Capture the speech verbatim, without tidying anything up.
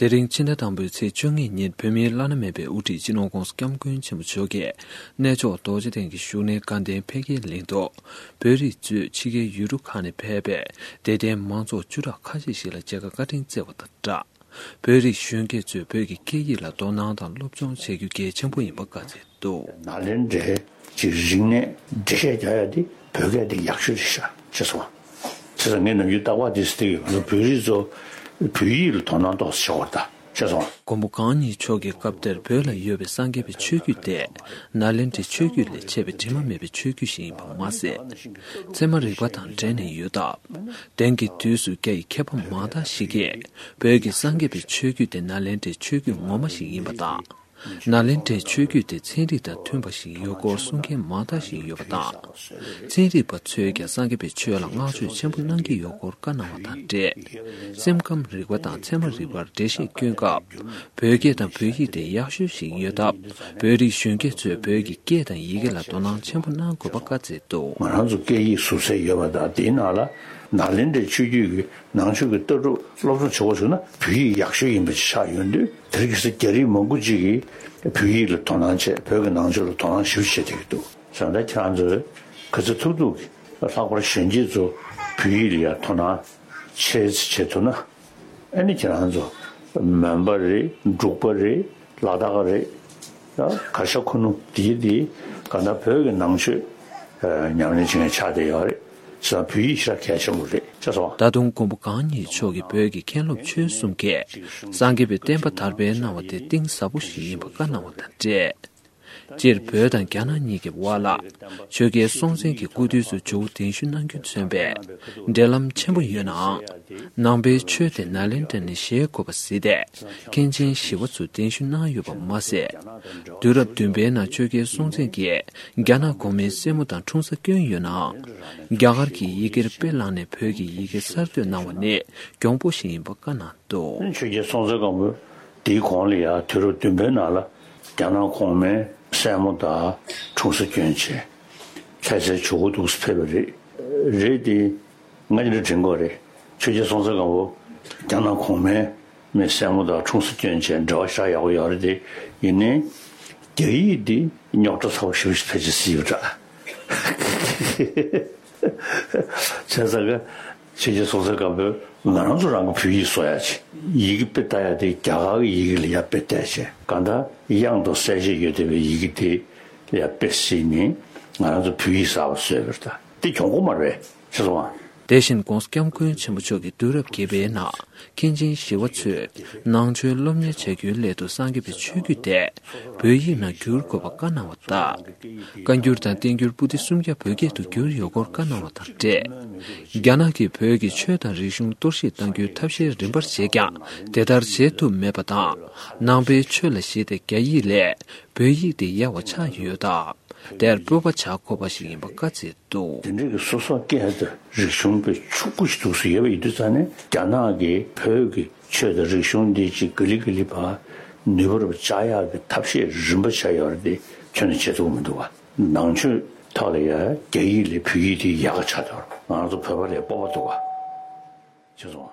དེ་རིང་ཕྱི་ཟླ་དང་པོའི་ཚེས་བཅོ་ལྔ་ཉིན་བོད་མིའི་བླ་ན་མེད་པའི་དབུ་ཁྲིད་སྤྱི་ནོར་༧གོང་ས་༧སྐྱབས་མགོན་ཆེན་པོ་མཆོག་གིས་གནས་མཆོག་རྡོ་རྗེ་གདན་གྱི་བཞུགས་གནས་དགའ་ལྡན་ཕ་གིའི་གླིང་དུ། བོད་རིགས་གཙོས་ཕྱི་རྒྱལ་ཡུལ་གྲུ་ཁག་ནས་ཕེབས་པའི་དད་ལྡན་མང་ཚོགས་བཅུ་ཕྲག་ཁ་ཤས་ཤིག་ལ་མཇལ་ཁ་བཀའ་དྲིན་བསྩལ་བ་དང་སྦྲགས། བོད་རིགས་གཞོན་སྐྱེས་ཚོས་བོད་ཀྱི་སྐད་ཡིག་ལ་དོ་སྣང་དང་སློབ་སྦྱོང་བྱ་རྒྱུ་གལ་ཆེན་པོ་ཡིན་པ་བཀའ་སྩལ་འདུག། ནཱ་ལེནྡྲའི་ཅིག་རིག་གནས་འགྲེལ་བཤད་རྒྱག་ཡ་དེ་བོད་སྐད་དེ་ཡག་ཤོས་རེད་ཤག་ཅེས་སོང་། བྱས་ཙང་ངས་ནམ་རྒྱུན་རྟག་པར་དེ་ཟེར་གྱི་ཡོད། ང་ཚོ་བོད་རིགས་ཚོ་བོད་ཡིག་ལ་དོ་སྣང་ཏོག་ཙམ་བྱེད་དགོས་རེད་ད། ཅེས་སོང་། མགོན་པོ་གང་ཉིད་མཆོག་གི་སྐབས་དེར་བོད་ལ་ཡོད་པའི་སངས་རྒྱས་པའི་ཆོས་བརྒྱུད་དེ་ནཱ་ལེནྡྲའི་ཆོས་བརྒྱུད་ལས་ཆད་པའི་དྲི་མ་མེད་པའི་ཆོས་བརྒྱུད་ཞིག་ཡིན་པ་མ་ཟད། ཚད་མ་རིག་པ་དང་འབྲེལ་ནས་ཡོད་སྟབས། དེང་གི་དུས་སུ་རྒྱ་ཡི་མཁས་པ་མང་དག་ཞིག་གིས་བོད་ཀྱི་སངས་རྒྱས་པའི་ཆོས་བརྒྱུད་དེ་ནཱ་ལེནྡྲའི་ཆོས་བརྒྱུད་ངོ་མ་ཞིག་ཡིན་པ་དང་། ནཱ་ལེནྡྲའི་ཆོས་བརྒྱུད་དེ་ཚན་རིག་དང་མཐུན་པ་ཞིག་ཡོད་སྐོར་གསུང་མཁན་མང་དག་ཞིག་ཡོད་པ་དང་། ཚན་རིག་པ་ཚོས་ཀྱང་སངས་རྒྱས་པའི་ཆོས་ལ་བསྔགས་བརྗོད་ཆེན་པོ་གནང་གི་ཡོད་སྐོར་བཀའ་གནང་བ་དང་འབྲེལ། སེམས་ཁམས་རིག་པ་དང་ཚད་མ་རིག་པར་འགྲེལ་བཤད་སྐྱོན་སྐབས། བོད་སྐད་དང་བོད་ཡིག་དེ་ཡག་ཤོས་ཤིག་ཡོད་སྟབས། བོད་རིགས་གཞོན་སྐྱེས་ཚོས་བོད་ཀྱི་སྐད་དང་ཡི་གེ་ལ་དོ་སྣང་ཆེན་པོ་གནང་དགོས་པ་བཀའ་སྩལ་འདུག། ང་རང་ཚོ་སྐད་ཡིག་ཟུར་ཟའི་ཡོད་པ་དང་དེའི་ནང་ལ་ནཱ་ལེནྡྲའི་ཆོས་བརྒྱུད་ཀྱི་ནང་ཆོས་ཀྱི་ལྟ་གྲུབ་སློབ་སྦྱོང་བྱེད་དགོས་བྱུང་ན་བོད་ཡིག་ཡག་ཤོས་ཡིན་པ་ཅིག་ཆགས་ཡོང་དུས། དེ་རིང་ཁ་སང་རྒྱ་རིགས་མང་པོ་ཅིག་གིས་བོད་ཡིག་ལ་དོ་སྣང་བྱས། བོད་ཀྱི་ནང་ཆོས་ལ་དོ་སྣང་ཞེ་པོ་བྱེད་བསྡད་ཀྱི་འདུག། བྱས་ཙང་ད་ཁྱེད་རང་ཚོས་ག་ཚོད་ཐུབ་ཐུབ་ཀྱིས་ལྷག་པར་གཞོན་སྐྱེས་ཚོ་བོད་ཡིག་ལ་ཡང་དོ་སྣང་བྱེད་བྱེད་ཐུབ་ན། ཨ་ནི་ཁྱེད་རང་ཚོ་མོན་པ་རེད། འབྲུག་པ་རེད། ལ་དྭགས་རེད། ད་གར་ཤ་ཁུ་ནུ་དེ་དེ་ག་ན་བོད་ཀྱི་ནང་ཆོས་ཉམས་ལེན་བྱེད་མཁན་ཆགས་བསྡད་ཡོད་རེད། བྱས་ཙང་བོད་ཡིག་ཤ་གལ་ཆེན་པོ་རེད། ཅེས་སོང་། ད་དུང་མགོན་པོ་གང་ཉིད་མཆོག་གིས་བོད་ཀྱི་མཁན་སློབ་ཆོས་གསུམ་གྱིས་སངས་རྒྱས་པའི་བསྟན་པ་དར་སྤེལ་གནང་བ་དེ་གཏིང་ཟབ་པོ་ཞིག་ཡིན་པ་བཀའ་གནང་བ་དང་འབྲེལ། སྤྱིར་བོད་དང་རྒྱ་ནག་གཉིས་ཀྱི་དབར་ལ་ཆོས་རྒྱལ་སྲོང་བཙན་གྱི་སྐུ་དུས་སུ་ཇོ་བོ་གདན་ཞུ་གནང་རྒྱུ་མཚོན་པའི་འབྲེལ་ལམ་ཆེན་པོ་ཡོད་ནའང་། ནང་པའི་ཆོས་དེ་ནཱ་ལེནྡྲ་ནས་བཞེས་དགོས་པ་གཟིགས་ཏེ་མཁན་ཆེན་ཞི་བ་འཚོ་གདན་ཞུ་གནང་ཡོད་པ་མ་ཟད། དུས་རབས་བདུན་པའི་ནང་ཆོས་རྒྱལ་སྲོང་བཙན་གྱིས་རྒྱ་ནག་གོང་མའི་སྲས་མོ་དང་འཁྲུངས་ས་བསྐྱོན་ཡོད་ནའང་། རྒྱ་གར་གྱི་ཡི་གེར་དཔེ་བླངས་ནས་བོད་ཀྱི་ཡི་གེ་གསར་གཏོད་གནང་བ་ནི་གྱོང་པོ་ཞིག་ཡིན་པ་བཀའ་གནང་འདུག། ཆོས་རྒྱལ་སྲོང་བཙན་སྒམ་པོ་དེའི་གོང་ལ་ཡང་དུས་རབས་བདུན་པའི་ནང་ལ་རྒྱ་ནག་གོང་མའི་སྲས་མོ་དང་འཁྲུངས་ས་བསྐྱོན་བྱས། ལྷ་སའི་ཇོ་བོ་འདུག་སེ་ཕེབས་པ་རེད། རེད་དེ། ང་འདི་འདྲ་དྲན་གྱི་ཡོད་རེད། ཆོས་རྒྱལ་སྲོང་བཙན་སྒམ་པོ་རྒྱ་ནག་གོང་མའི་མའི་སྲས་མོ་དང་འཁྲུངས་ས་བསྐྱོན་བྱས་འབྲེལ་བ་ཞེ་དྲག་ཡག་པོ་ཡོད་རེད་དེ། ཡིན་ནའི་རྒྱ་ཡིག་འདི་རྙོག་དྲ་ཚ་པོ་ཞེ་པོ་ཞིག་ཕལ་ཆེར་གཟིགས་ཡོད་འདྲ། བྱས་ཙང་གི་ཆོས་རྒྱལ་སྲོང་བཙན་སྒམ་པོས་ང་རང་ཚོ་རང་གི་བོད་ཡིག་བཟོ་ཡ་ཆེད་ཡི་གེ་དཔེ་ལྟ་ཡ་དེ་རྒྱ་གར་གྱི་ཡི་གེ་ལ་ཡར་དཔེ་བལྟས་བྱས། གང་ལྟར་དབྱངས་དང་གསལ་བྱེད་ཡོད་བསྡད་པའི་ཡི་གེ་དེ་ལ་ཡར་དཔེ་གཟིགས་ནས་ང་རང་ཚོ་བོད་ཡིག་གསར་པ་བཟོས་པ་རེད་ད། དེ་གྱོང་པོ་མ་རེད་ཤེས་སོང་ཨ། དེ་བཞིན་༧གོང་ས་༧སྐྱབས་མགོན་ཆེན་པོ་མཆོག་གིས་དུས་རབས་བརྒྱད་པའི་ནང་མཁན་ཆེན་ཞི་བ་འཚོས་ནང་ཆོས་སློབ་གཉེར་བྱ་རྒྱུའི་སླད་དུ་སངས་རྒྱས་པའི་ཆོས་བརྒྱུད་དེ་བོད་ཡིག་ནང་བསྒྱུར་དགོས་པ་བཀའ་གནང་བ་དང་། བཀའ་འགྱུར་དང་བསྟན་འགྱུར་པོ་ཏི་སུམ་བརྒྱ་བོད་སྐད་དུ་བསྒྱུར་ཡོད་སྐོར་བཀའ་གནང་བ་དང་འབྲེལ། རྒྱ་ནག་གིས་བོད་ཀྱི་ཆོས་དང་རིག་གཞུང་གཏོར་བཤིག་གཏང་རྒྱུའི་ཐབས་ཤེས་རིམ་པར་བྱས་ཀྱང་དེ་ལྟར་བྱེད་ཐུབ་མེད་པ་དང་། ནང་པའི་ཆོས་ལ་གཞིགས་ཏེ་རྒྱ་ཡིག་ལས་བོད་ཡིག་དེ་ཡག་པ་ཆགས་ཡོད་སྟབས། དེར་སྤོབས་པ་བྱ་དགོས་པ་ཞིག་ཡིན་པ་བཀའ་སྩལ་འདུག། དེ་འདྲའི་གི་སོ་སོ་སྐད་དང་རིག་གཞུང་དཔེ་ཕྱུག་པོ་ཞིག་འདུག་སེ་ཡོད་པ་ཡིན་དུས་ཙང་ནས་རྒྱ་ནག་གིས་བོད་ཀྱི་ཆོས་དང་རིག་གཞུང་འདི་ཅིག་ག་ལེ་ག་ལེ་བ་ནུས་པ་རུ་བཅག་ཡག་གི་ཐབས་ཤེས་རིམ་པ་བྱས་ཡོད་རེད་དེ་ཁྱོན་ནས་བྱེད་ཐུབ་ཀྱི་མི་འདུག་བ། ནང་ཆོས་ཐོག་ལ་ཡ་རྒྱ་ཡིག་ལས་བོད་ཡིག་དེ་ཡག་ག་ཆགས་འདུག་ང་རང་ཚོ་བོད་པ་ལ་སྤོབས་པ་འདུག་བ། ཤེས་སོང་ཨ།